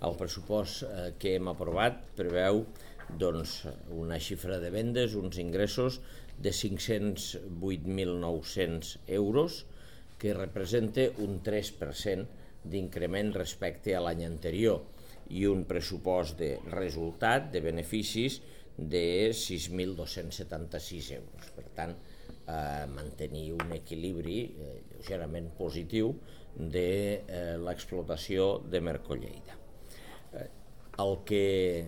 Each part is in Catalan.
El pressupost que hem aprovat preveu una xifra de vendes, uns ingressos de 508.900 euros, que representa un 3% d'increment respecte a l'any anterior i un pressupost de resultat de beneficis de 6.276 euros. Per tant, mantenir un equilibri lleugerament positiu de l'explotació de Merco-Lleida. El que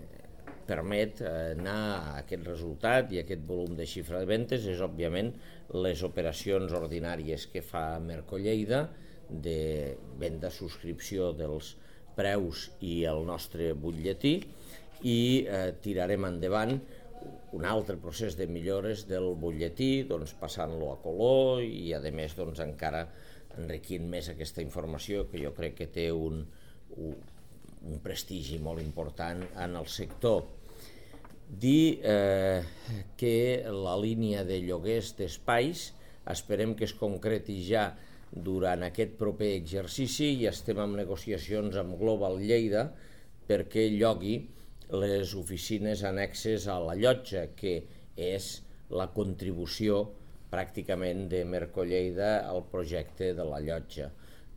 permet anar a aquest resultat i aquest volum de xifra de ventes és, òbviament, les operacions ordinàries que fa Merco-Lleida de venda, subscripció dels preus i el nostre butlletí, i tirarem endavant un altre procés de millores del butlletí, passant-lo a color i, a més, encara enriquint més aquesta informació, que jo crec que té un prestigi molt important en el sector. Dir que la línia de lloguers d'espais esperem que es concreti ja durant aquest proper exercici i estem en negociacions amb Global Lleida perquè llogui les oficines annexes a la llotja, que és la contribució pràcticament de Merco-Lleida al projecte de la llotja.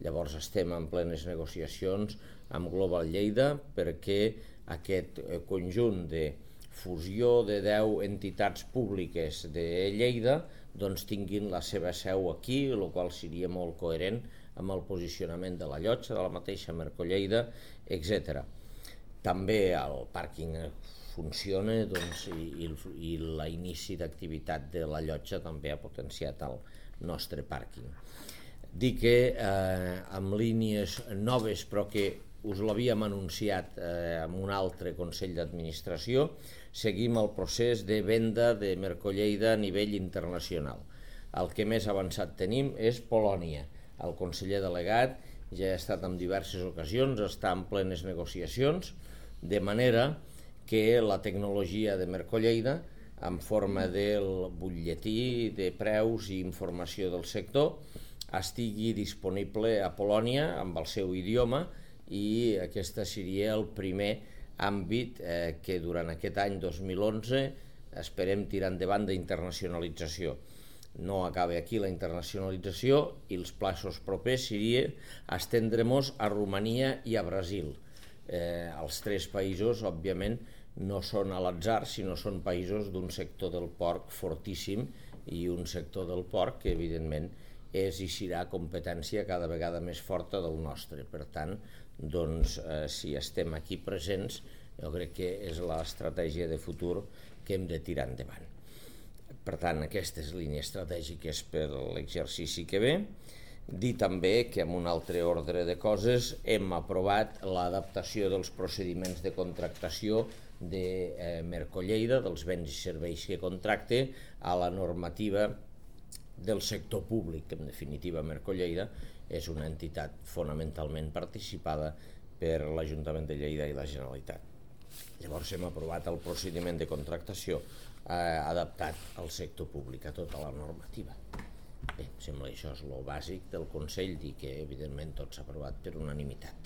Llavors estem en plenes negociacions amb Global Lleida perquè aquest conjunt de fusió de 10 entitats públiques de Lleida tinguin la seva seu aquí, el qual seria molt coherent amb el posicionament de la llotja, de la mateixa Merco-Lleida, etc. També el pàrquing funciona i l'inici d'activitat de la llotja també ha potenciat el nostre pàrquing. Dir que amb línies noves, però que us l'havíem anunciat en un altre Consell d'Administració, seguim el procés de venda de Merco-Lleida a nivell internacional. El que més avançat tenim és Polònia. El conseller delegat ja ha estat en diverses ocasions, està en plenes negociacions, de manera que la tecnologia de Merco-Lleida, en forma del butlletí de preus i informació del sector, estigui disponible a Polònia amb el seu idioma, i aquest seria el primer àmbit que durant aquest any 2011 esperem tirar endavant d'internacionalització. No acaba aquí la internacionalització i els plaços propers seria estendre-nos a Romania i a Brasil. Els tres països, òbviament, no són a l'atzar, sinó són països d'un sector del porc fortíssim i un sector del porc que, evidentment, és i serà competència cada vegada més forta del nostre. Per tant, si estem aquí presents, jo crec que és l'estratègia de futur que hem de tirar endavant. Per tant, aquestes línies estratègiques per l'exercici que ve. Dir també que, en un altre ordre de coses, hem aprovat l'adaptació dels procediments de contractació de Merco-Lleida, dels béns i serveis que contracte, a la normativa del sector públic. En definitiva, Merco-Lleida és una entitat fonamentalment participada per l'Ajuntament de Lleida i la Generalitat. Llavors hem aprovat el procediment de contractació adaptat al sector públic, a tota la normativa. Bé, sembla que això és el bàsic del Consell i que, evidentment, tot s'ha aprovat per unanimitat.